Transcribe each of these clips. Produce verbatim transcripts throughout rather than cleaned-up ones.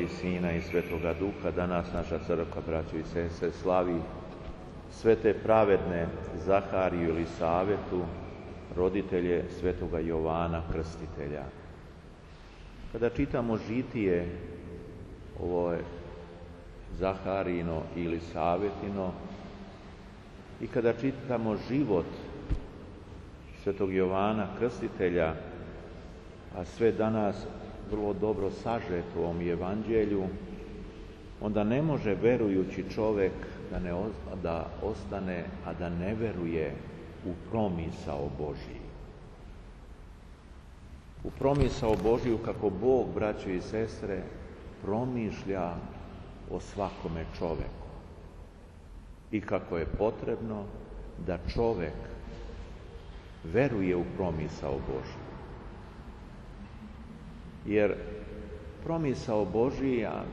i Sina i Svetoga Duha. Danas naša crkva, braćo i sestre, slavi sve te pravedne Zahariju ili Savetu, roditelje Svetoga Jovana Krstitelja. Kada čitamo žitije, ovo je Zaharino ili Savetino, i kada čitamo život Svetog Jovana Krstitelja, a sve danas vrlo dobro sažeto u ovom evanđelju, onda ne može verujući čovjek da, ne, da ostane, a da ne veruje u promisao Božji. U promisao Božju kako Bog, braćo i sestre, promišlja o svakome čoveku i kako je potrebno da čovek veruje u promisao Božju. Jer promisao Božija,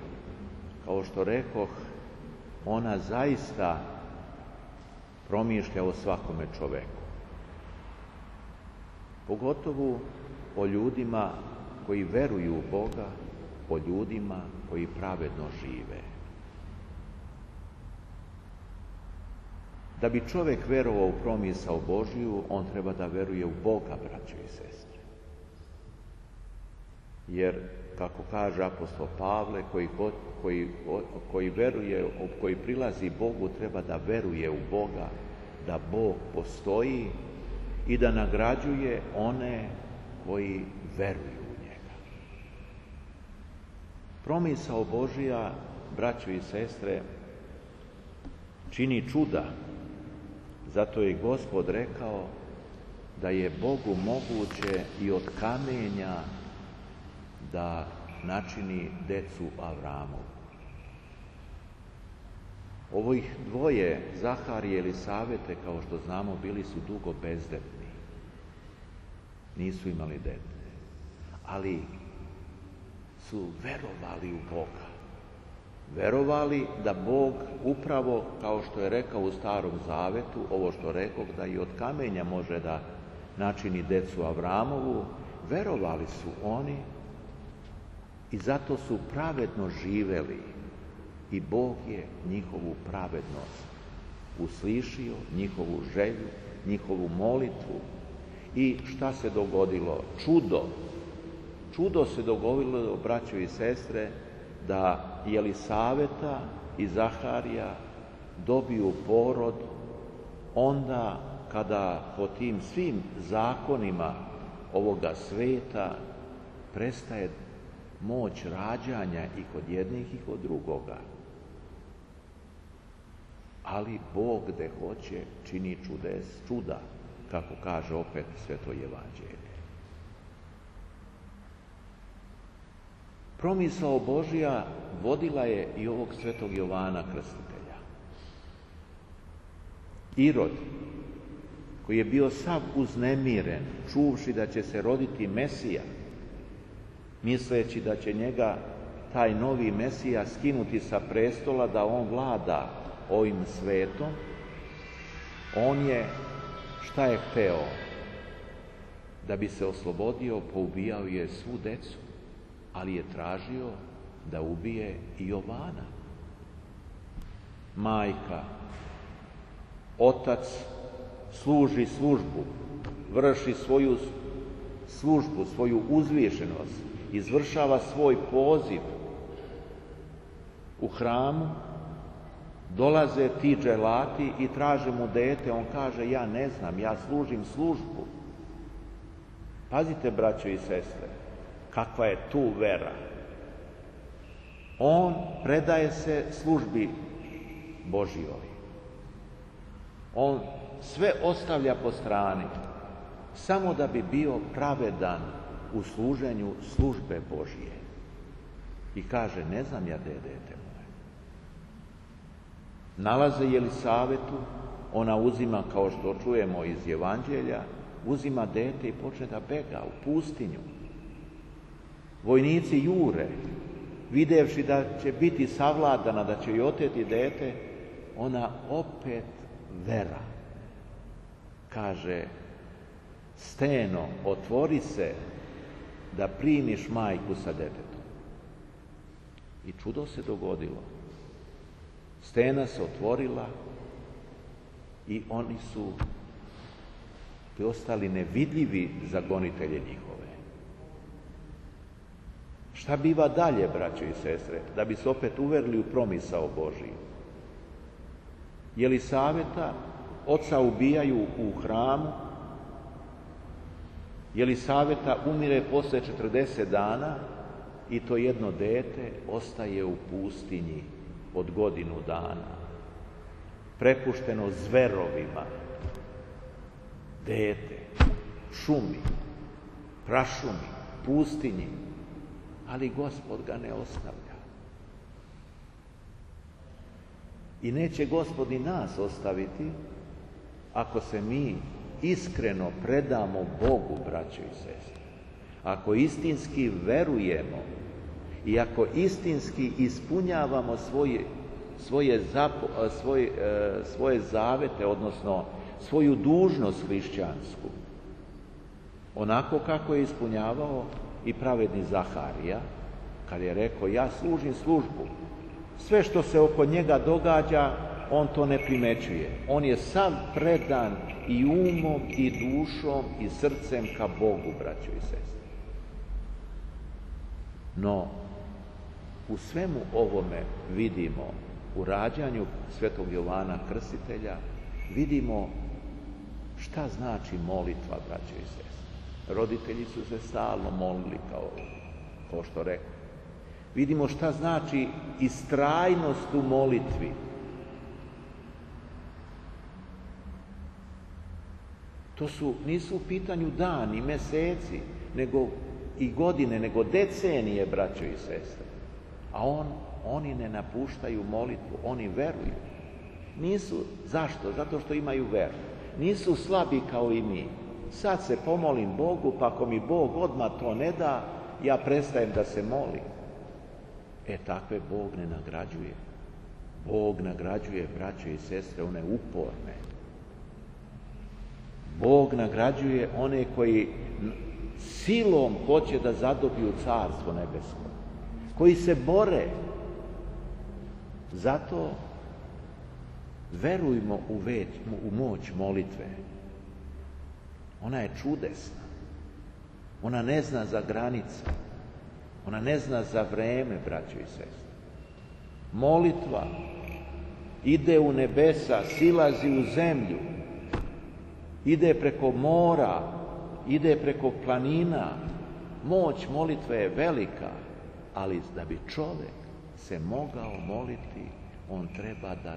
kao što rekoh, ona zaista promišlja o svakome čoveku. Pogotovo o ljudima koji veruju u Boga, o ljudima koji pravedno žive. Da bi čovjek verovao u promisao Božiju, on treba da veruje u Boga, braćo i sestre. Jer, kako kaže apostol Pavle, koji, koji, koji veruje, koji prilazi Bogu, treba da veruje u Boga, da Bog postoji i da nagrađuje one koji veruju u njega. Promisao Božija, braćo i sestre, čini čuda. Zato je Gospod rekao da je Bogu moguće i od kamenja da načini decu Avramovu. Ovih dvoje, Zaharije ili Savete, kao što znamo, bili su dugo bezdetni. Nisu imali dete. Ali su verovali u Boga. Verovali da Bog upravo, kao što je rekao u Starom Zavetu, ovo što rekao, da i od kamenja može da načini decu Avramovu, verovali su oni i zato su pravedno živeli i Bog je njihovu pravednost uslišio, njihovu želju, njihovu molitvu. I šta se dogodilo? Čudo. Čudo se dogodilo, braćo i sestre, da Jelisaveta i Zaharija dobiju porod onda kada po tim svim zakonima ovoga sveta prestaje moć rađanja i kod jednih i kod drugoga. Ali Bog gde hoće čini čudes, čuda, kako kaže opet Sveto evanđelje. Promisao Božja vodila je i ovog Svetog Jovana Krstitelja. Irod, koji je bio sav uznemiren, čuvši da će se roditi Mesija, misleći da će njega taj novi Mesija skinuti sa prestola da on vlada ovim svetom, on je, šta je hteo? Da bi se oslobodio, poubijao je svu decu, ali je tražio da ubije i Jovana. Majka, otac služi službu, vrši svoju službu, svoju uzvišenost, izvršava svoj poziv u hramu, dolaze ti dželati i traže mu dete, on kaže ja ne znam, ja služim službu. Pazite, braćo i sestre, kakva je tu vera. On predaje se službi Božjoj. On sve ostavlja po strani, samo da bi bio pravedan u služenju službe Božje. I kaže, ne znam ja gde je dete moje. Nalaze Jelisavetu, ona uzima, kao što čujemo iz Evanđelja, uzima dete i počne da bega u pustinju. Vojnici jure, videvši da će biti savladana, da će joj oteti dete, ona opet vera. Kaže, steno, otvori se da primiš majku sa detetom. I čudo se dogodilo. Stena se otvorila i oni su ostali nevidljivi za gonitelje njihove. Šta biva dalje, braćo i sestre, da bi se opet uverili u promisao Božiju? Jelisaveta oca ubijaju u hramu, Jelisaveta umire posle četrdeset dana i to jedno dete ostaje u pustinji od godinu dana, prepušteno zverovima. Dete, šumi, prašumi, pustinji, ali Gospod ga ne ostavlja. I neće Gospod i nas ostaviti ako se mi iskreno predamo Bogu, braćo i sestre. Ako istinski verujemo i ako istinski ispunjavamo svoje, svoje, zapo, svoje, svoje zavete, odnosno svoju dužnost hrišćansku, onako kako je ispunjavao i pravedni Zaharija, kad je rekao: ja služim službu. Sve što se oko njega događa, on to ne primećuje. On je sav predan i umom i dušom i srcem ka Bogu, braćo i sestre. No, u svemu ovome vidimo, u rađanju svetog Jovana Krstitelja, vidimo šta znači molitva, braćo i sestre. Roditelji su se stalno molili, kao, kao što rekao. Vidimo šta znači istrajnost u molitvi. To su, nisu u pitanju dani, meseci, nego i godine, nego decenije, braćo i sestre. A on, oni ne napuštaju molitvu, oni veruju. Nisu, zašto? Zato što imaju veru. Nisu slabi kao i mi. Sad se pomolim Bogu, pa ako mi Bog odmah to ne da, ja prestajem da se molim. E, takve Bog ne nagrađuje. Bog nagrađuje, braćo i sestre, one uporne. Bog nagrađuje one koji silom hoće da zadobiju carstvo nebesko, koji se bore. Zato verujmo u, već, u moć molitve. Ona je čudesna. Ona ne zna za granice. Ona ne zna za vreme, braćo i sestre. Molitva ide u nebesa, silazi u zemlju, ide preko mora, ide preko planina. Moć molitve je velika, ali da bi čovjek se mogao moliti, on treba da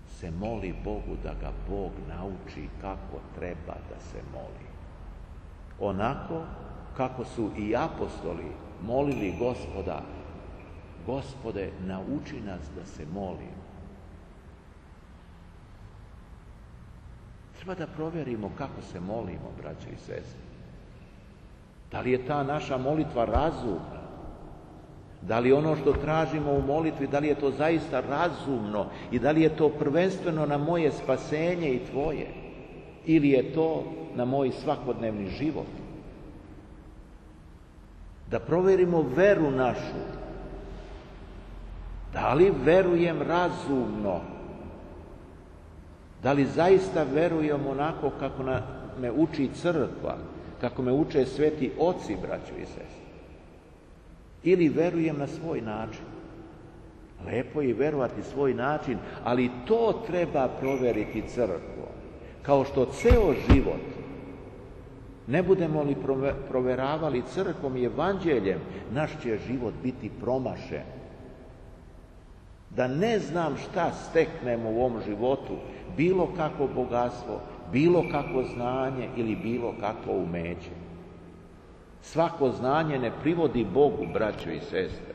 se moli Bogu, da ga Bog nauči kako treba da se moli. Onako kako su i apostoli molili Gospoda: Gospode, nauči nas da se molimo. Treba da provjerimo kako se molimo, braće i sestre. Da li je ta naša molitva razumna? Da li ono što tražimo u molitvi, da li je to zaista razumno i da li je to prvenstveno na moje spasenje i tvoje? Ili je to na moj svakodnevni život? Da provjerimo veru našu. Da li verujem razumno? Da li zaista verujem onako kako me uči crkva, kako me uče sveti oci, braćo i sestre? Ili verujem na svoj način? Lepo je verovati svoj način, ali to treba provjeriti crkvom. Kao što ceo život ne budemo li proveravali crkvom i evanđeljem, naš će život biti promašen. Da ne znam šta steknemo u ovom životu, bilo kakvo bogatstvo, bilo kakvo znanje ili bilo kakvo umeće. Svako znanje ne privodi Bogu, braćo i sestre.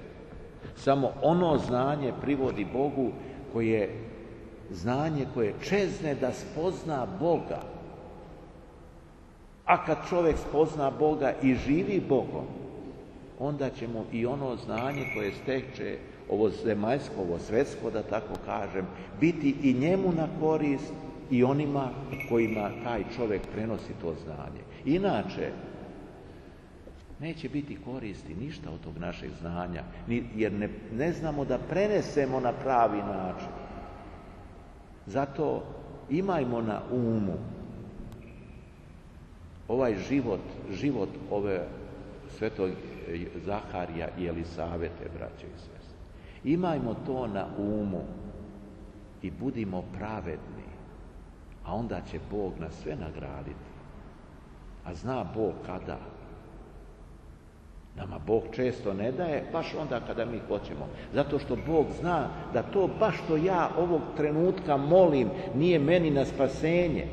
Samo ono znanje privodi Bogu koje znanje koje čezne da spozna Boga. A kad čovjek spozna Boga i živi Bogom, onda će mu i ono znanje koje steče, ovo zemaljsko, ovo svetsko, da tako kažem, biti i njemu na korist i onima kojima taj čovjek prenosi to znanje. Inače, Neće biti koristi ništa od tog našeg znanja, jer ne, ne znamo da prenesemo na pravi način. Zato imajmo na umu ovaj život, život ove svetog Zaharija i Elisavete, braće i sestre. Imajmo to na umu i budimo pravedni, a onda će Bog nas sve nagraditi. A zna Bog kada. Nama Bog često ne daje, baš onda kada mi hoćemo. Zato što Bog zna da to baš što ja ovog trenutka molim nije meni na spasenje.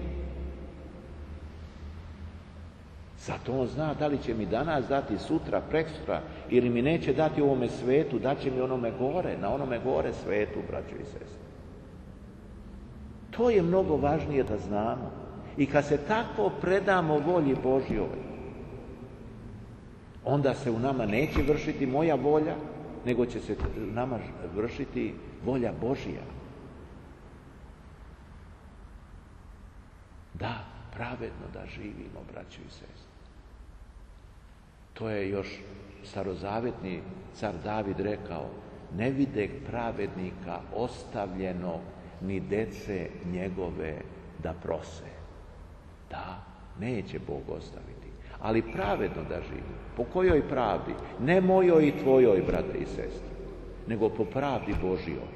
Zato on zna da li će mi danas dati sutra, preksutra, ili mi neće dati u ovome svetu, daće mi onome gore, na onome gore svetu, braćo i sestre. To je mnogo važnije da znamo. I kad se tako predamo volji Božjoj, onda se u nama neće vršiti moja volja, nego će se u nama vršiti volja Božja. Da, pravedno da živimo, braćo i sestre. To je još starozavetni car David rekao: ne videh pravednika ostavljeno, ni dece njegove da prose. Da, neće Bog ostaviti, ali pravedno da živi. Po kojoj pravdi? Ne mojoj i tvojoj, brate i sestre, nego po pravdi Božjoj.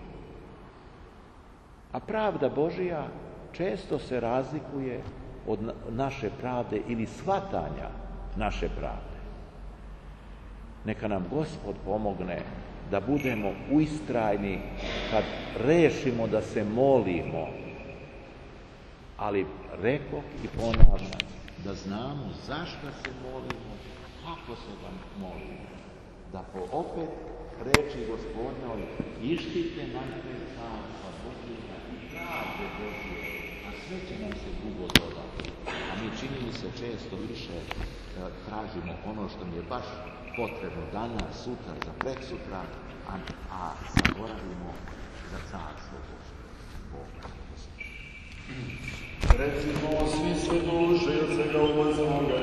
A pravda Božja često se razlikuje od naše pravde ili shvatanja naše pravde. Neka nam Gospod pomogne da budemo ustrajni kad rešimo da se molimo, ali rekoh i ponavljam, da znamo zašto se molimo, kako se vam molimo. Da po opet reči Gospodnjoj ištite najprej carstva Božjega i pravde Božje, a sve će nam se drugo dodati. A mi, čini mi se, često više tražimo ono što mi je baš potrebno danas, sutra, za preksutra, a, a zaboravimo za carstvo Božje. Boga. Recimo svi sve duše od svega uboznoga